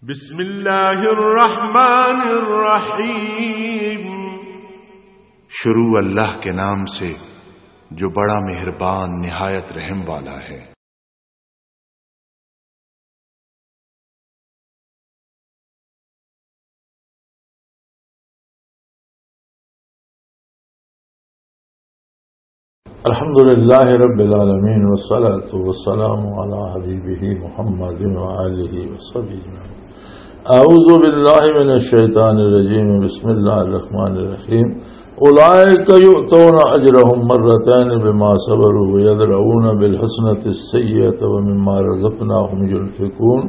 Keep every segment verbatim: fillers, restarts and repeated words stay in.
بسم اللہ الرحمن الرحیم۔ شروع اللہ کے نام سے جو بڑا مہربان نہایت رحم والا ہے۔ الحمد لله رب العالمين، والصلاة والسلام على حبيبه محمد وآله وصحبه أجمعين. أعوذ بالله من الشيطان الرجيم. بسم الله الرحمن الرحيم. أولئك يؤتون أجرهم مرتين بما صبروا ويدرؤون بالحسنة السيئة ومما رزقناهم ينفقون.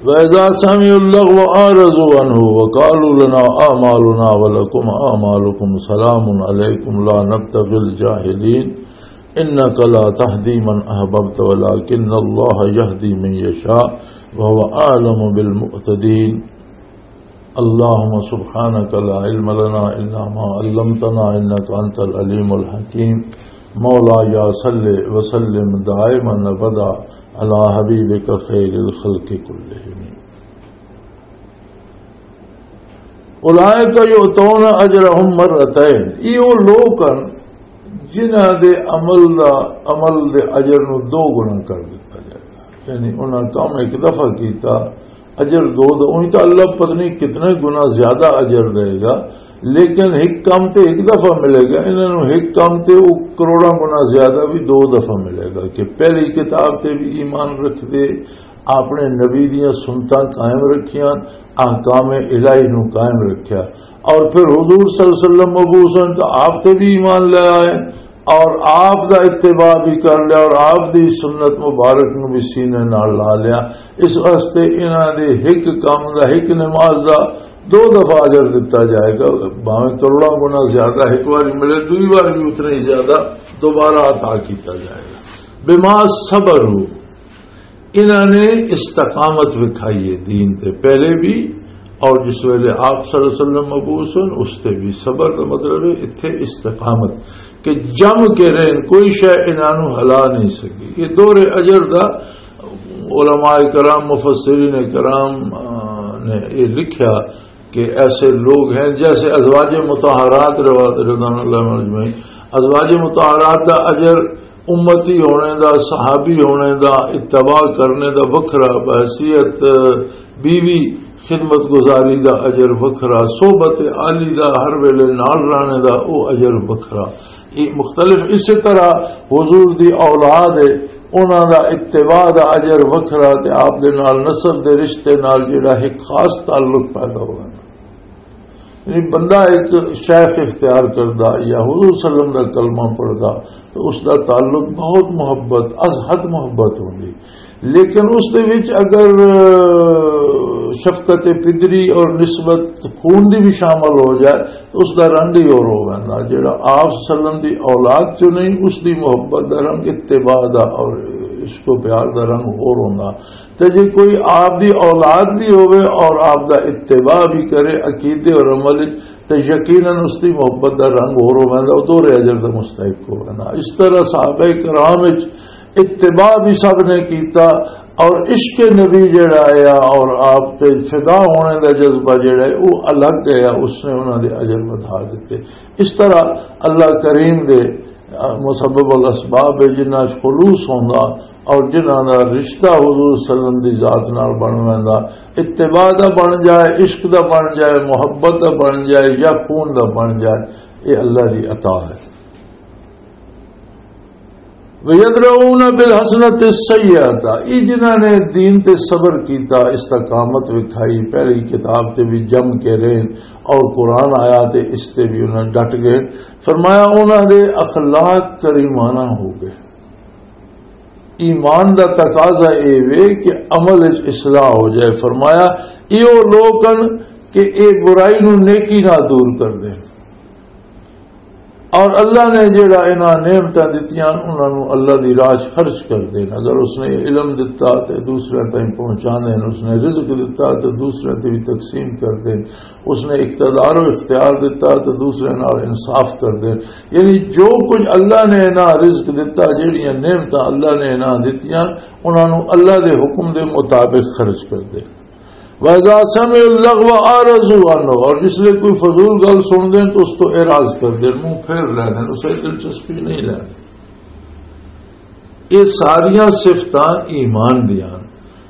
وإذا سمعوا اللغو أعرضوا عنه وقالوا لنا أعمالنا ولكم أعمالكم سلام عليكم لا نبتغي الجاهلين إنك لا تهدي من أحببت ولكن الله يهدي من يشاء وهو أعلم بالمهتدين. اللهم سبحانك لا علم لنا إلا ما علمتنا إنك أنت العليم الحكيم. مولاي صل وسلم دائما أبدا على حبيبك خير الخلق كلهم. اولئک یؤتون اجرہم مرتین، یہ وہ لوگ ہیں جنہاں دے عمل دا، عمل دے اجر نو دو گنا کر دتا جائے گا۔ یعنی انہاں کام ایک دفعہ کیتا، اجر دو دو، انہی تو اللہ پتہ نہیں کتنے گنا زیادہ اجر دے گا، لیکن ایک کام تے ایک دفعہ ملے گا، انہاں نو ایک کام تے وہ کروڑاں گنا زیادہ بھی دو دفعہ ملے گا۔ کہ پہلی کتاب تے بھی ایمان رکھ دے، اپنے نبی دیاں سنتاں قائم رکھیاں، احکام الہی نو قائم رکھیا، اور پھر حضور صلی اللہ علیہ وسلم مبعوث ہوئے تو آپ تے بھی ایمان لے آئے، اور آپ دا اتباع بھی کر لیا اور آپ دی سنت مبارک نو بھی سینے نال لا لیا۔ اس واسطے انہاں دے ہک کام دا، ہک نماز دا دو دفعہ اجر دتا جائے گا، بھاویں کروڑاں گنا زیادہ ہک واری ملے، دوئی وار بھی اتنا ہی زیادہ دوبارہ عطا کیتا جائے گا۔ بما صبروا، انہاں نے استقامت وکھائی ہے دین تے پہلے بھی، اور جس ویلے آپ صلی اللہ علیہ وسلم مبعوث ہوئے، اس تے بھی۔ صبر کا مطلب ہے اتھے استقامت، کہ جم کے رہن، کوئی شے انہاں نوں ہلا نہیں سکی۔ یہ دور اجر دا علماء کرام، مفسرین کرام، آ، نے یہ لکھیا کہ ایسے لوگ ہیں جیسے ازواج مطہرات، روایت رضوان اللہ علیہم اجمعین، ازواج مطہرات دا اجر امتی ہونے دا، صحابی ہونے دا، اتباع کرنے دا وکھرا، بحیثیت بیوی خدمت گزاری دا اجر وکھرا، صحبت عالی دا ہر ویلے نال رہنے دا او اجر وکھرا۔ یہ مختلف، اسی طرح حضور دی اولاد ہے، انہاں دا اتباع دا اجر وکھرا تے آپ دے نال نسب دے رشتے نال جڑا ایک خاص تعلق پیدا ہونا۔ یعنی بندہ ایک شیخ اختیار کردا یا حضور صلی اللہ علیہ وسلم دا کلمہ پڑھدا تو اس دا تعلق بہت محبت، از حد محبت ہوندی، لیکن اس دے وچ اگر شفقت پدری اور نسبت خون دی بھی شامل ہو جائے تو اس دا رنگ ہی اور ہو ویندا۔ جڑا آپ صلی اللہ علیہ وسلم دی اولاد چوں نہیں، اس دی محبت دا رنگ، اتباع دا اور عشق و پیار دا رنگ ہور ہوندا۔ تے جے کوئی آپ دی اولاد بھی ہوئے اور آپ دا اتباع بھی کرے عقیدے اور عمل وچ، تے یقیناً اس دی محبت دا رنگ ہور ہو ویندا، او دوہرے اجر دا مستحق ہو ویندا۔ اس طرح صحابہ کرام وچ اتباع بھی سب نے کیتا، اور عشق نبی جڑا ہے اور آپ تے فدا ہونے دا جذبہ جڑا ہے، وہ الگ ہے، اس نے انہاں دے اجر ودھا دتے۔ اس طرح اللہ کریم دے مسبب الاسباب ہے، جنہاں وچ خلوص ہوندا اور جنہاں دا رشتہ حضور صلی اللہ علیہ وسلم دی ذات نال بن ویندا، اتباع دا بن جائے، عشق دا بن جائے، محبت دا بن جائے یا خون دا بن جائے، یہ اللہ دی عطا ہے۔ وَيَدْرَؤُونَ بِالْحَسَنَةِ السَّيِّئَةَ، یہ جنہاں نے دین تے صبر کیتا، استقامت وکھائی، پہلی کتاب تے بھی جم کے رہن اور قرآن آیا تے اس تے بھی انہاں ڈٹ گئے۔ فرمایا انہاں دے اخلاق کریمانہ ہو گئے۔ ایمان دا تقاضا اے وے کہ عمل وچ اصلاح ہو جائے۔ فرمایا ایہو لوگ ہن کہ اے برائی نو نیکی نال دور کر دین، اور اللہ نے جڑا انہاں نعمتاں دتیاں انہاں نو اللہ دی راہ 'چ خرچ کر دین۔ اگر اس نے علم دتا تے دوسرے تائیں پہنچا دین، اس نے رزق دتا تے دوسرے تے بھی تقسیم کر دین، اس نے اقتدار و اختیار دتا تے دوسرے نال انصاف کر دین۔ یعنی جو کچھ اللہ نے انہاں رزق دتا، جڑیاں نعمتاں اللہ نے انہاں دتیاں، انہاں نوں اللہ دے حکم دے مطابق خرچ کر دے۔ وَإِذَا سَمِعُوا اللَّغْوَ أَعْرَضُوا عَنْهُ، اور جس لئے کوئی فضول گل سن دیں تو اس تو اعراض کر دیں، منہ پھیر لے دیں، اسے دلچسپی نہیں لے دیں۔ یہ ساریاں صفتاں ایمان دیاں،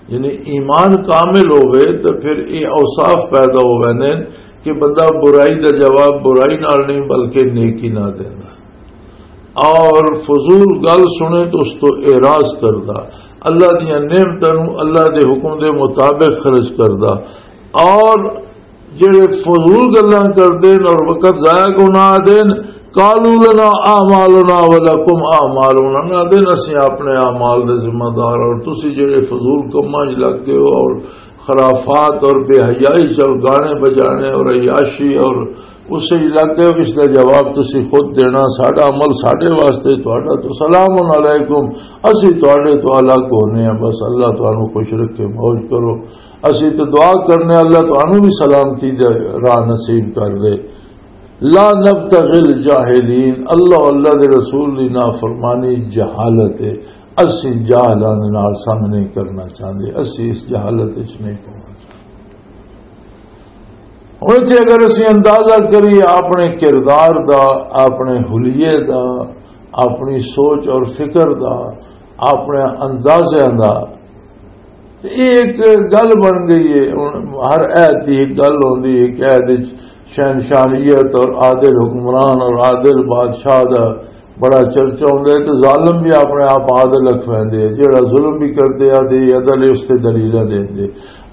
یعنی ایمان کامل ہوئے تو پھر یہ اوصاف پیدا ہو ویندے کہ بندہ برائی دا جواب برائی نال نہیں بلکہ نیکی نال دیندا، اور فضول گل سنے تو اس تو اعراض کردا، اللہ دیاں نعمتاں نوں اللہ دے حکم دے مطابق خرچ کردا، اور جڑے فضول گلاں کردے نے اور وقت ضائع کو نہ دین، قالوا لنا اعمالنا ولکم اعمالنا، نہ دین اسی اپنے اعمال دے ذمہ دار، اور تسی جڑے فضول کماں وچ لگ گئے ہو اور خرافات اور بے حیائی چ اور گانے بجانے اور عیاشی اور اس وچ لگ گئے ہو، اس دا جواب تسی خود دینا۔ ساڈا عمل ساڈے واسطے، تہاڈا تو سلام علیکم، اسی تہاڈے تو الگ ہونے ہیں۔ بس اللہ تانوں خوش رکھے، موج کرو۔ اسی تو دعا کرنے، اللہ تانوں بھی سلامتی دے راہ نصیب کر دے۔ لا نبتغی الجاہلین، اللہ، اللہ دے رسول دی نافرمانی جہالت ہے۔ اسی جاہلاں دے نال سنگ نہیں کرنا چاہندے، اسی اس جہالت وچ نہیں پاؤنا چاہندے۔ ہن اتھے اگر اسی اندازہ کریے اپنے کردار دا، اپنے حلیے دا، اپنی سوچ اور فکر دا، اپنے اندازیاں دا، تے یہ ایک گل بن گئی ہے۔ ہن ہر عہد دی ایک گل ہوندی ہے کہ عہد وچ شہنشاہیت اور عادل حکمران اور عادل بادشاہ دا بڑا چرچا ہوندا ہے، تے ظالم بھی اپنے آپ عادل اکھویندے ہیں، جڑا ظلم بھی کردے آ تے عدل اس تے دلیلاں دیندے۔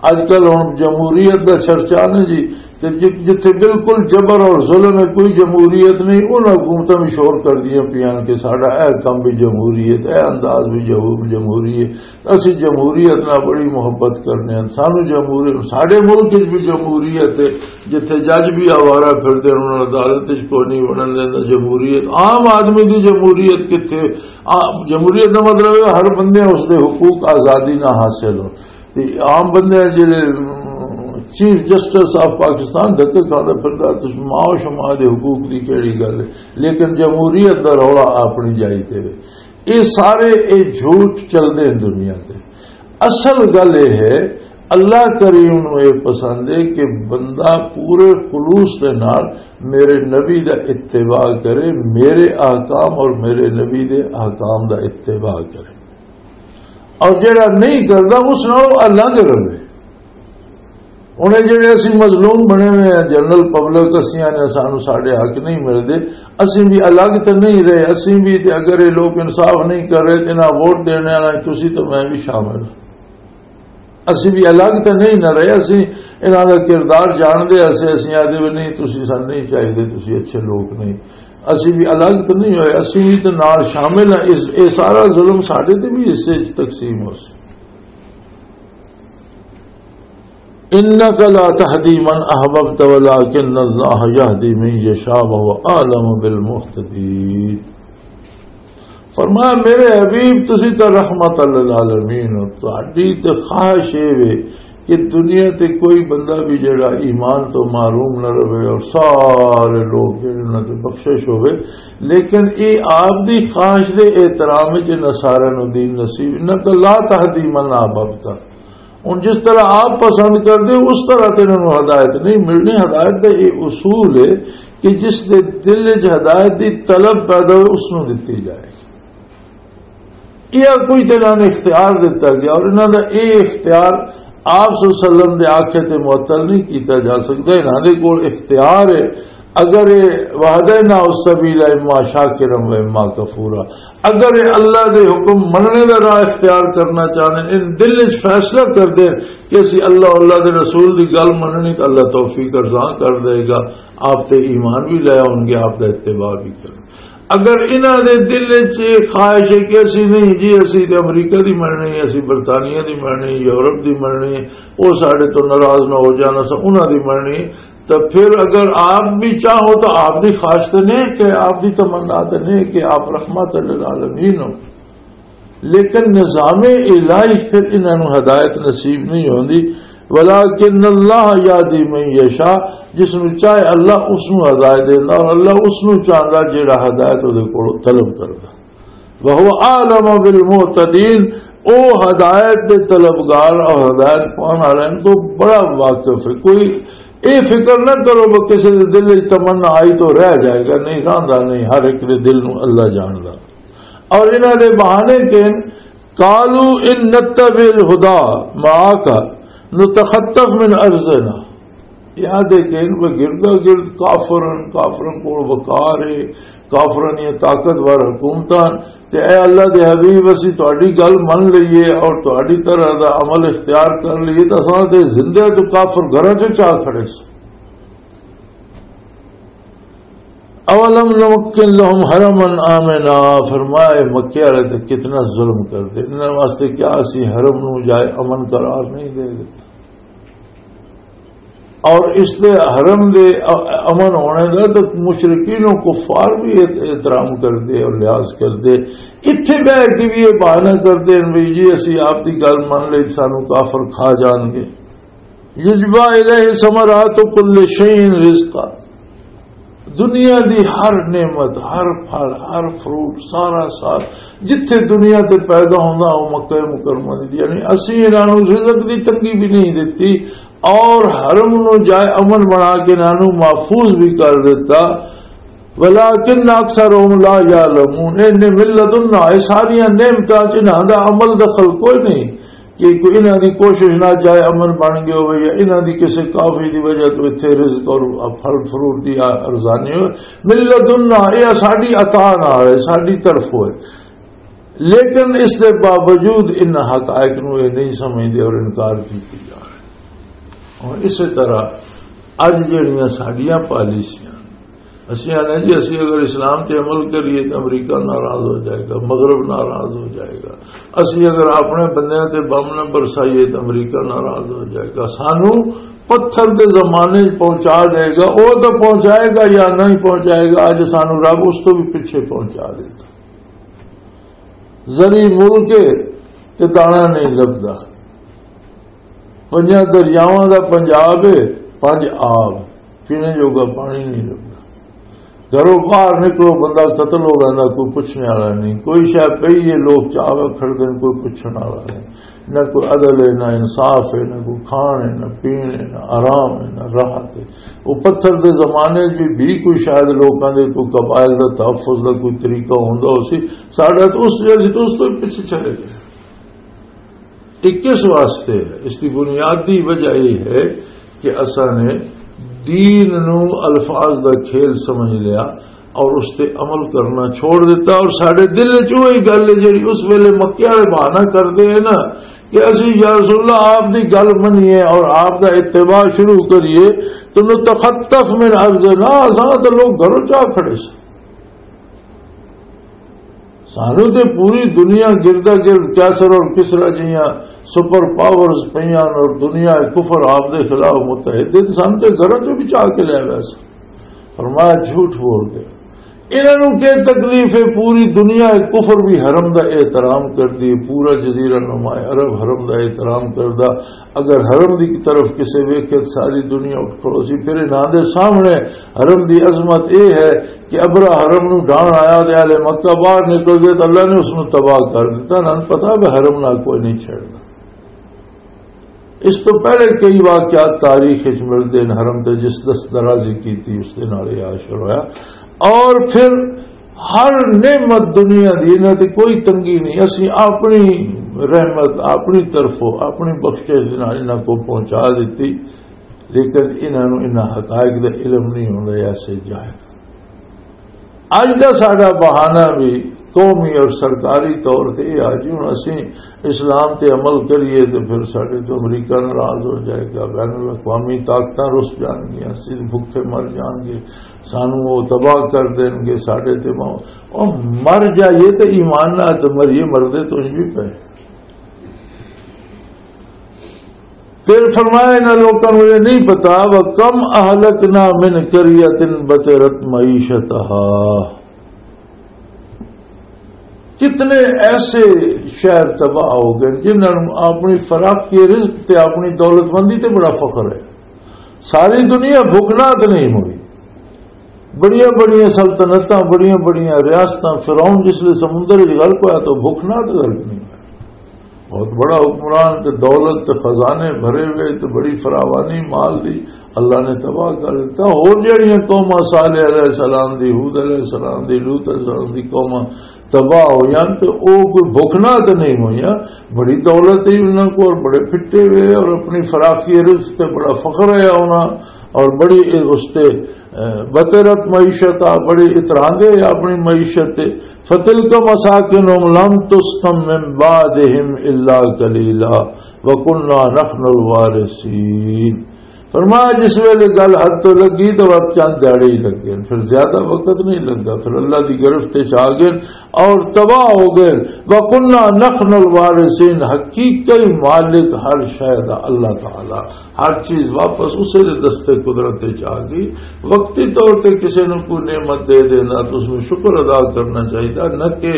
اج کل ہن جمہوریت دا چرچا نا جی، تے جت-، جتھے بالکل جبر اور ظلم ہے، کوئی جمہوریت نہیں، انہاں حکومتاں بھی شور کردیاں پیاں کہ ساڈا اے کم بھی جمہوریت، اے انداز بھی جمہور-، جمہوریت۔ اسی جمہوریت نال بڑی محبت کرنے ہیں۔ سانو جمہوری-، ساڈے ملک وچ بھی جمہوریت ہے، جتھے جج بھی آوارہ پھردے ہیں، انہاں نوں عدالت وچ کوئی نہیں وڑن دیندا۔ جمہوریت، عام آدمی دی جمہوریت کتھے؟ آ-، جمہوریت دا مطلب ہے ہر بندے اس دے حقوق آزادی نہ حاصل ہو۔ تے عام بندے جڑے، ام، چیف جسٹس آف پاکستان دھکے کھاندا پھردا، تے ماں و شما دے حقوق دی کیڑی گل ہے؟ لیکن جمہوریت دا رولا اپنی جائی تے وے۔ یہ سارے، یہ جھوٹ چلدے ہیں دنیا تے۔ اصل گل یہ ہے، اللہ کریم نوں یہ پسند ہے کہ بندہ پورے خلوص دے نال میرے نبی دا اتباع کرے، میرے احکام اور میرے نبی دے احکام دا اتباع کرے، اور جڑا نہیں کردا اس نال الگ رہے۔ انہیں جڑے اسی مظلوم بنے ہوئے ہیں، جنرل پبلک، اسی آنے سانو ساڈے حق نہیں ملتے، اسی بھی الگ تو نہیں رہے۔ اسی بھی تے اگر یہ لوگ انصاف نہیں کر رہے تو انہاں ووٹ دینے والا تسی تو میں بھی شامل ہاں۔ اسی بھی الگ تو نہیں نہ رہے، اسی انہاں دا کردار جان دے، اسی، اسی آدھے بھی نہیں، تسی سن نہیں چاہیے، تسی اچھے لوگ نہیں۔ اسی بھی الگ تو نہیں ہوئے، اسی بھی تو نال شامل ہیں۔ اس، یہ سارا ظلم ساڈے تے بھی حصے وچ تقسیم ہو سی۔ انک لا تہدی من احببت ولکن اللہ یہدی من یشاء وہو اعلم بالمہتدین۔ فرمایا، میرے حبیب، تسی تو رحمت للعالمین ہو، تہاڈی تے خواہش اے وے کہ دنیا تے کوئی بندہ بھی جڑا ایمان تو محروم نہ رہے اور سارے لوگ جڑے انہاں تے بخشش ہوئے، لیکن اے آپ دی خواہش دے احترام وچ انہاں سارے نوں دین نصیب۔ انک لا تہدی من احببت، ہن جس طرح آپ پسند کردے ہو، اس طرح تے انہاں نوں ہدایت نہیں ملنی۔ ہدایت دا یہ اصول ہے کہ جس دے دل وچ ہدایت دی طلب پیدا ہوئے، اس نوں دتی جائے۔ یہ کوئی تے انہاں نوں اختیار دتا گیا، اور انہاں دا یہ اختیار آپ صلی اللہ علیہ وسلم دے آکھے تے معطل نہیں کیتا جا سکدا۔ انہاں دے کول اختیار ہے، اگر یہ وہدینا السبیل اما شاکرا و اما کفورا، اگر یہ اللہ دے حکم مننے دا راہ اختیار کرنا چاہندے، ان دل وچ فیصلہ کر دے کہ اسی اللہ، اللہ دے رسول دی گل مننی، تو اللہ توفیق ارزاں کر دے گا، آپ تے ایمان بھی لے آؤ گے، آپ دا اتباع بھی کرن۔ اگر انہاں دے دل وچ یہ خواہش ہے کہ اسی نہیں جی، اسی تے امریکہ دی مننی ہے، اسی برطانیہ دی مننی ہے، یورپ دی مننی ہے، وہ ساڈے تو ناراض نہ ہو جانا، سا انہاں دی مننی ہے، تو پھر اگر آپ بھی چاہو تو آپ دی خواہش تو نہیں کہ آپ دی تمنا تو نہیں کہ آپ رحمت للعالمین ہو، لیکن نظام الہی پھر انہاں نوں ہدایت نصیب نہیں ہوندی۔ ولیکن اللہ یہدی من یشاء، جس نوں چاہے اللہ اس نوں ہدایت دیندا، اور اللہ اس نوں چاہندا جیڑا ہدایت اودے کولوں طلب کردا۔ وہو اعلم بالمہتدین، او ہدایت دے طلبگار اور ہدایت پاؤن والے تو بڑا واقف ہے۔ کوئی اے فکر نہ کرو کہ کسی دے دل وچ تمنا آئی تو رہ جائے گا، نہیں، رہندا نہیں، ہر ایک دے دل نو اللہ جاندا۔ اور انہاں دے بہانے کہ قالوا ان نتبع الهدى معك نتخطف من ارضنا۔ یاد ہے کہ ان پہ گردا گرد کافر ہن، کافراں کول وقار ہے، کافراں دیاں طاقتور حکومتاں ہن۔ تے اے اللہ دے حبیب، اسی تہاڈی گل من لئیے اور تہاڈی طرح دا عمل اختیار کر لئیے، تے اساں تے زندہ تو کافر گھراں چوں چا کھڑے سو۔ اولم نمکن لهم حرما آمنا، فرمایا، مکے والے تے کتنا ظلم کر دے، انہاں واسطے کیا اسی حرم نو جائے امن قرار نہیں دے دیتا؟ اور اس دے حرم دے ا-، امن ہونے دا تو مشرکین و کفار بھی احت-، احترام کردے اور لحاظ کردے۔ اتھے بہ کے بھی یہ بہانہ کردے ہیں بھی جی اسی آپ دی گل من لئی، سانو کافر کھا جان گے۔ یجبا الیہ ثمرات کل شیء رزقا، دنیا دی ہر نعمت، ہر پھل، ہر فروٹ، سارا سار جتھے دنیا تے پیدا ہوندا، او مکہ مکرمہ دی۔ یعنی اسی انہاں نوں رزق دی تنگی بھی نہیں دتی اور حرم نوں جائے امن بنا کے انہاں نوں محفوظ بھی کر دتا۔ ولکن اکثرهم لا یعلمون، اے من لدنا، اے ساریاں نعمتاں چ انہاں دا عمل دخل کوئی نہیں۔ کہ کوئی انہاں دی کوشش نہ جائے امن بن گیا ہوئے یا انہاں دی کسی کافی دی وجہ تو اتھے رزق اور پھل فروٹ دی ارزانی ہوئے۔ من لدنا، یہ ساڈی عطا نال ہے، ساڈی طرف ہوئے۔ لیکن اس دے باوجود ان حقائق نو یہ نہیں سمجھدے اور انکار کیتی جا رہے۔ اور اسی طرح اج جڑیاں ساڈیاں پالیسیاں، اسی آنے جی، اسی اگر اسلام تے عمل کریے تو امریکہ ناراض ہو جائے گا، مغرب ناراض ہو جائے گا۔ اسی اگر اپنے بندیاں تے بم نہ برسائیے تو امریکہ ناراض ہو جائے گا۔ سانو پتھر دے زمانے چ پہنچا دے گا، او تو پہنچائے گا یا نہیں پہنچائے گا، اج سانو رب اس تو بھی پیچھے پہنچا دیتا۔ زری ملک ہے تے دانا نہیں لبدا۔ پنجاں دریاواں دا پنجاب ہے، پنج آب، پینے جوگا پانی نہیں لبدا۔ گھروں باہر نکلو، بندہ قتل ہو ویندا، کوئی پوچھنے والا نہیں۔ کوئی شے پئی ہے، لوگ چاہ کھڑدے نے، کوئی پوچھنے والا نہیں۔ نہ کوئی عدل ہے، نہ انصاف ہے، نہ کوئی کھان ہے، نہ پین ہے، نہ آرام ہے، نہ راحت ہے۔ وہ پتھر دے زمانے بھی، بھی کوئی شاید لوکاں دے کوئی قبائل دا تحفظ دا کوئی طریقہ ہوندا ہو سی، ساڈا تو اس جیسے تو اس تو پیچھے چلے گئے۔ یہ کس واسطے ہے؟ اس کی بنیادی وجہ یہ ہے کہ اساں نے دین نو الفاظ دا کھیل سمجھ لیا اور اس تے عمل کرنا چھوڑ دیتا، اور ساڈے دل وچ وہی گل ہے جڑی اس ویلے مکے والے بہانہ کردے ہیں نا کہ اسی یا رسول اللہ آپ دی گل منیے اور آپ دا اتباع شروع کریے، تو نتخطف من ارضنا، اساں تے لوگ گھروں چا کھڑے سن۔ سانو تے پوری دنیا گردا گرد کیسر اور کسرا جیاں سپر پاورز پیاں اور دنیا کفر آپ دے خلاف متحد ہے، تے سانو تے گھراں چوں بھی چاہ کے لے آیا سی۔ فرمایا، جھوٹ بول دے۔ انہاں نوں کی تکلیف ہے؟ پوری دنیا کفر بھی حرم دا احترام کردی ہے، پورا جزیرہ نما عرب حرم دا احترام کردا۔ اگر حرم دی طرف کسے ویکھے، ساری دنیا اٹھ کھڑو سی۔ پھر انہاں دے سامنے حرم دی عظمت اے ہے کہ ابرا حرم نو ڈھان آیا تے اہل مکہ باہر نکل گئے تے اللہ نے اس نو تباہ کر دتا۔ انہاں نوں پتہ ہے حرم نال کوئی نہیں چھڑنا۔ اس تو پہلے کئی واقعات تاریخ وچ ملدے نے، حرم تے جس دست درازی کیتی، اس دے نال یہ حشر ہویا۔ اور پھر ہر نعمت دنیا دی، انہاں تے کوئی تنگی نہیں۔ اسی اپنی رحمت، اپنی طرفوں، اپنی بخشش دے نال انہاں کو پہنچا دتی، لیکن انہاں نوں انہاں حقائق دا علم نہیں ہوندا، ایسے جاہل۔ اج دا ساڈا بہانہ بھی قومی اور سرکاری طور تے یہ آ جی ہن اسی اسلام تے عمل کریے تے پھر ساڈے تو امریکہ ناراض ہو جائے گا، بین الاقوامی طاقتاں رس جان گیاں، اسی بھکھے مر جان گے، سانو وہ تباہ کر دین گے، ساڈے تے مو-، او مر جائیے تے ایمان نال تے مریے، مردے تو انج بھی پے۔ پھر فرمایا، انہاں لوکاں نوں یہ نہیں پتا، وَكَمْ أَهْلَكْنَا مِنْ قَرْيَةٍ بَطِرَتْ مَعِيشَتَهَا، کتنے ایسے شہر تباہ ہو گئے جنہاں نوں اپنی فراخی رزق تے اپنی دولت مندی تے بڑا فخر ہے، ساری دنیا بھوک ناک نہیں ہوئی۔ بڑیاں بڑیاں سلطنتاں، بڑیاں بڑیاں ریاستاں، فرعون جس لئے سمندر وچ غرق ہویا تو بھوک ناک غرق نہیں ہویا۔ بہت بڑا حکمران تے دولت تے خزانے بھرے ہوئے تے بڑی فراوانی مال دی، اللہ نے تباہ کر دیتا۔ اور جڑیاں قوماں صالح علیہ السلام دی، ہود علیہ السلام دی، لوط علیہ السلام دی قوماں تباہ ہویاں تے او کوئی بھکنا تے نہیں ہویاں، بڑی دولت ہی انہاں کو اور بڑے پھٹے ہوئے اور اپنی فراخی رزق تے بڑا فخر ہے انہاں اور بڑی اس تے، اے، بطرت معیشت آ، بڑی اتراندے آ اپنی معیشت تے۔ فَتِلْكَ مَسَاكِنُهُمْ لَمْ تُسْكَنْ مِنْ بَعْدِهِمْ إِلَّا قَلِيلًا وَكُنَّا نَحْنُ الْوَارِثِينَ۔ فرمایا، جس ویلے گل حد تو لگی تو وقت چند دیہڑے ہی لگے، پھر زیادہ وقت نہیں لگا۔ پھر اللہ دی گرفت چ آ گئے اور تباہ ہو گئے۔ وَكُنَّا نَحْنُ الْوَارِثِينَ، حقیقی مالک ہر شے دا اللہ تعالی، ہر چیز واپس اسے دے دستے قدرت چ آ گئی۔ وقتی طور تے کسے نوں کوئی نعمت دے دینا تو اس میں شکر ادا کرنا چاہیے، نہ کہ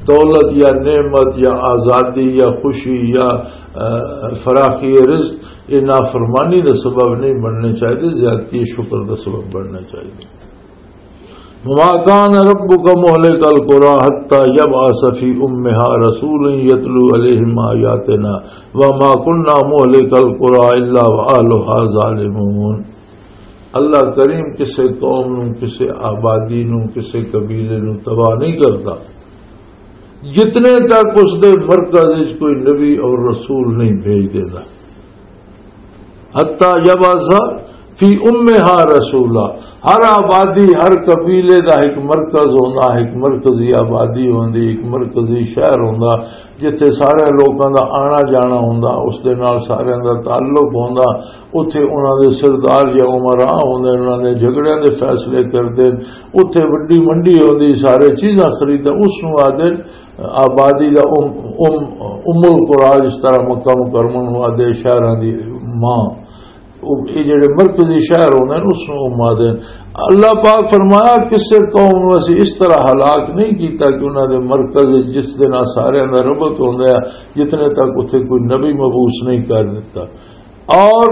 دولت یا نعمت یا آزادی یا خوشی یا، آ، فراخی رزق، یہ نافرمانی دا سبب نہیں بننے چاہیے، زیادتی شکر دا سبب بننا چاہیے۔ وما كان ربك مهلك القرى حتى يبعث في أمها رسولا يتلو عليهم آياتنا وما كنا مهلك القرى إلا وأهلها ظالمون۔ اللہ کریم کسے قوم نو، کسے آبادی نو، کسے قبیلے نو تباہ نہیں کرتا جتنے تک اس دے مرکز وچ کوئی نبی اور رسول نہیں بھیج دیتا۔ حتی یبعث فی امہا رسولا۔ ہر آبادی، ہر قبیلے دا ایک مرکز ہوندا، ایک مرکزی آبادی ہوندی، ایک مرکزی شہر ہوندا، جتھے سارے لوکاں دا آنا جانا ہوندا، اس دے نال سارے دا تعلق ہوندا۔ اتھے انہاں دے سردار یا امراء ہوندے، انہاں دے جھگڑیاں دے فیصلے کردے۔ اتھے وڈی منڈی ہوندی، سارے چیزاں خریدے، اس نوں آدھے آبادی دا ام، ام، ام القریٰ، جس طرح مکہ مکرمہ نوں آدھے شہراں دی ماں۔ او، اے جڑے مرکزی شہر ہوندے نے، اس نوں ام آدھے نے۔ اللہ پاک فرمایا، کسے قوم نوں اسی اس طرح ہلاک نہیں کیتا کہ انہاں دے مرکز وچ جس دے نال سارے دا ربط ہوندا ہے، جتنے تک اتھے کوئی نبی مبعوث نہیں کر دیتا۔ اور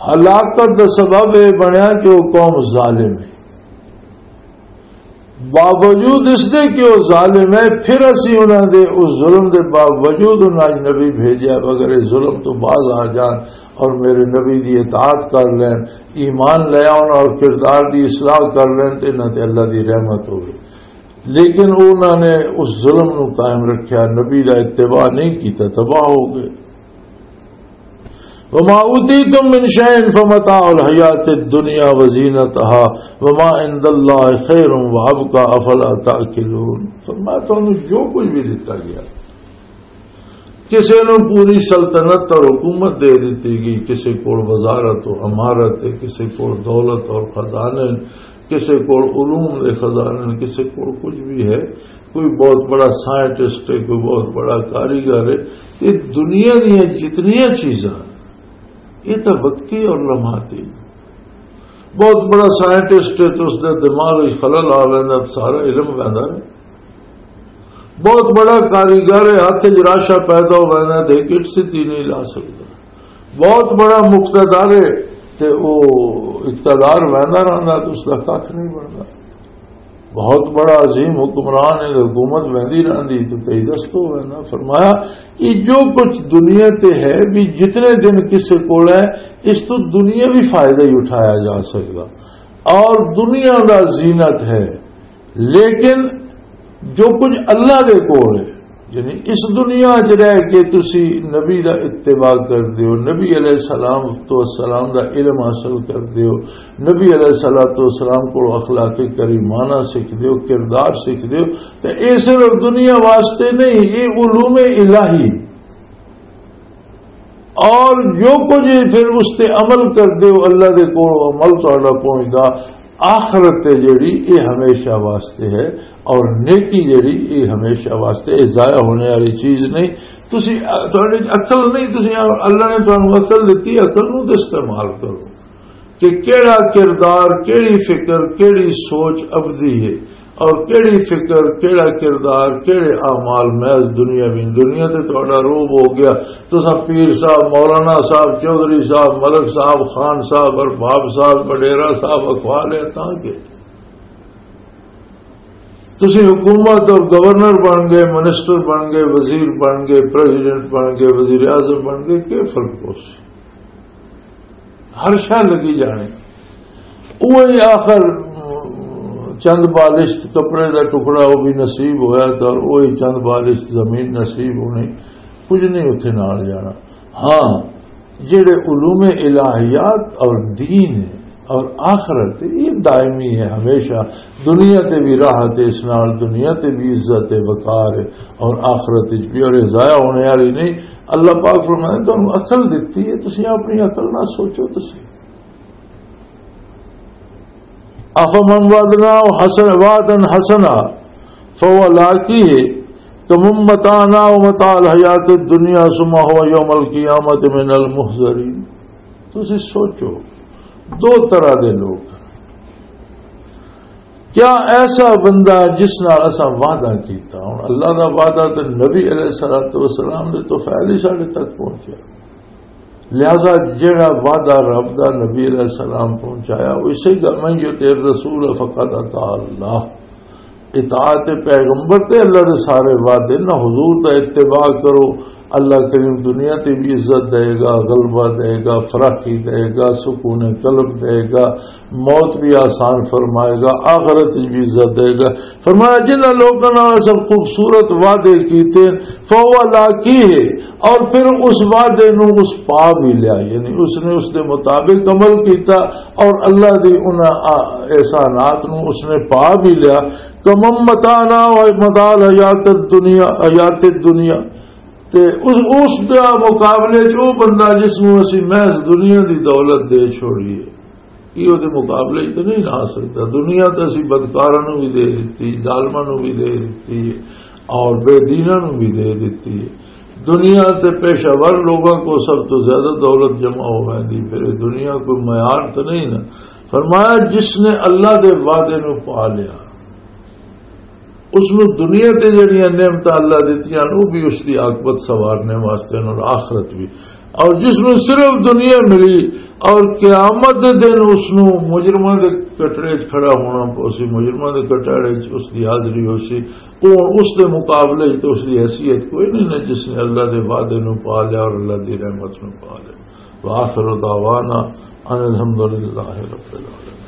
ہلاکت دا سبب اے بنیا کہ وہ قوم ظالم ہے۔ باوجود اس دے کہ وہ ظالم ہے، پھر اسی انہاں دے اس ظلم دے باوجود انہاں نبی بھیجیا، اگر اس ظلم تو باز آ جان اور میرے نبی دی اطاعت کر لین، ایمان لے آؤن اور کردار دی اصلاح کر لین، تے انہاں تے اللہ دی رحمت ہوگی۔ لیکن انہاں نے اس ظلم نو قائم رکھیا، نبی دا اتباع نہیں کیتا، تباہ ہو گئے۔ وما اوتیتم من شیء فمتاع الحیات الدنیا وزینتہا وما عند اللہ خیر وابقی افلا تعقلون۔ فرمایا، تانوں جو کچھ بھی دتا گیا، کسے نوں پوری سلطنت اور حکومت دے دتی گئی، کسے کول وزارت و امارت ہے، کسے کول دولت اور خزانے، کسے کول علوم دے خزانے، کسے کول کچھ بھی ہے، کوئی بہت بڑا سائنٹسٹ ہے، کوئی بہت بڑا کاریگر ہے۔ یہ دنیا دیاں جتنیاں چیزاں، یہ تو وقتی اور لمحاتی۔ بہت بڑا سائنٹسٹ ہے تو اس دے دماغ وچ خلل آ ویندا، سارا علم ویندا ہے۔ بہت بڑا کاریگر ہے، ہاتھ وچ راشا پیدا ہو ویندا، تے گٹ سدھی نہیں لا سکدا۔ بہت بڑا مقتدر ہے، تے او اقتدار ویندا رہندا، تے اس دا کھ نہیں بندا۔ بہت بڑا عظیم حکمران ہے، حکومت ویندی رہندی تے تئی دستو ویندا۔ فرمایا، یہ جو کچھ دنیا تے ہے، بھی جتنے دن کسے کول ہے، اس تو دنیا بھی فائدہ ہی اٹھایا جا سکدا، اور دنیا دا زینت ہے، لیکن جو کچھ اللہ دے کول ہے، یعنی اس دنیا 'چ رہ کے تسی نبی دا اتباع کر دیو، نبی علیہ السلام تو السلام دا علم حاصل کر دیو، نبی علیہ الصلوۃ والسلام کو اخلاق کریمانہ سکھ دیو، کردار سکھ دیو، تے اے صرف دنیا واسطے نہیں، اے علوم الہی۔ اور جو کچھ پھر اس تے عمل کر دیو، اللہ دے کول عمل تہاڈا پہنچدا، آخرت تے جڑی، اے ہمیشہ واسطے ہے، اور نیکی جڑی، اے ہمیشہ واسطے، اے ضائع ہونے والی چیز نہیں۔ تسی، تہاڈے 'چ عقل نہیں، تسی، اللہ نے تانوں عقل دتی، عقل نوں تے استعمال کرو کہ کیڑا کردار، کیڑی فکر، کیڑی سوچ ابدی ہے، اور کیڑی فکر، کیڑا کردار، کیڑے اعمال محض دنیاوی۔ دنیا تے تہاڈا روب ہو گیا، تساں پیر صاحب، مولانا صاحب، چوہدری صاحب، ملک صاحب، خان صاحب، ارباب صاحب، وڈیرا صاحب اخوا لیا، تاں کہ تسی حکومت اور گورنر بن گئے، منسٹر بن گئے، وزیر بن گئے، پریزیڈنٹ بن گئے، وزیر اعظم بن گئے، کیا فرق ہو سی؟ ہر شے لگی جانے۔ وہی آخر چند بالشت کپڑے دا ٹکڑا وہ بھی نصیب ہویا تھا، اور وہی چند بالشت زمین نصیب ہونی، کچھ نہیں اتھے نال جانا۔ ہاں، جڑے علوم الہیات اور دین ہے اور آخرت ہے، یہ دائمی ہے ہمیشہ۔ دنیا تے بھی راحت ہے، اس نال دنیا تے بھی عزت ہے، وقار ہے، اور آخرت وچ بھی، اور یہ ضائع ہونے والی نہیں۔ اللہ پاک فرمائے، تانوں عقل دتی ہے، تسی اپنی عقل نال سوچو۔ تسی افمن وعدناه حسن وعدا حسنا فهو لاقيه كمن متعناه متاع الحياة الدنيا ثم هو يوم القيامة من المحضرين۔ تسی سوچو، دو طرح دے لوگ۔ کیا ایسا بندہ جس نال اساں وعدہ کیتا؟ ہن اللہ دا وعدہ تے نبی علیہ الصلوۃ والسلام دے تو فعل ہی ساڈے تک پہنچیا۔ لہذا جڑا وعدہ رب دا نبی علیہ السلام پہنچایا، وہ اسی گل، "من یطع الرسول فقد اطاع اللہ۔" اطاعت پیغمبر تے اللہ دے سارے وعدے نہ، حضور دا اتباع کرو، اللہ کریم دنیا تے بھی عزت دے گا، غلبہ دے گا، فراخی دے گا، سکون قلب دے گا، موت بھی آسان فرمائے گا، آخرت بھی عزت دے گا۔ فرمایا، جنہاں لوکاں نال اساں خوبصورت وعدے کیتے، فهو لاقيه، اور پھر اس وعدے نو اس پا بھی لیا، یعنی اس نے اس دے مطابق عمل کیتا اور اللہ دی انہاں آ-، احسانات نو اس نے پا بھی لیا۔ کمن متعناه متاع الحیات الدنیا، حیات الدنیا۔ تے اس، اس دا مقابلے چ او بندہ جس نوں اسی محض دنیا دی دولت دے چھوڑیے، یہ دے مقابلے چ تے نہیں لا سکدا۔ دنیا تے اسی بدکاراں نوں بھی دے دتی، ظالماں نوں بھی دے دتی، اور بے دیناں نوں بھی دے دتی۔ دنیا تے پیشہ ور لوگاں کو سب تو زیادہ دولت جمع ہو ویندی، پھر یہ دنیا کوئی معیار تے نہیں نا۔ فرمایا، جس نے اللہ دے وعدے نوں پا لیا، اس نوں دنیا تے جڑیاں نعمتاں اللہ دتیاں، وہ بھی اس دی عاقبت سنوارنے واسطے اور آخرت بھی۔ اور جس نوں صرف دنیا ملی اور قیامت دے دن اس نوں مجرماں دے کٹڑے وچ کھڑا ہونا پوسی، مجرماں دے کٹڑے وچ اس دی حاضری ہوسی، وہ اس دے مقابلے وچ تے اس دی حیثیت کوئی نہیں نہ، جس نے اللہ دے وعدے نوں پا لیا اور اللہ دی رحمت نوں پا لیا۔ وآخر دعوانا ان الحمد للہ رب العالمین۔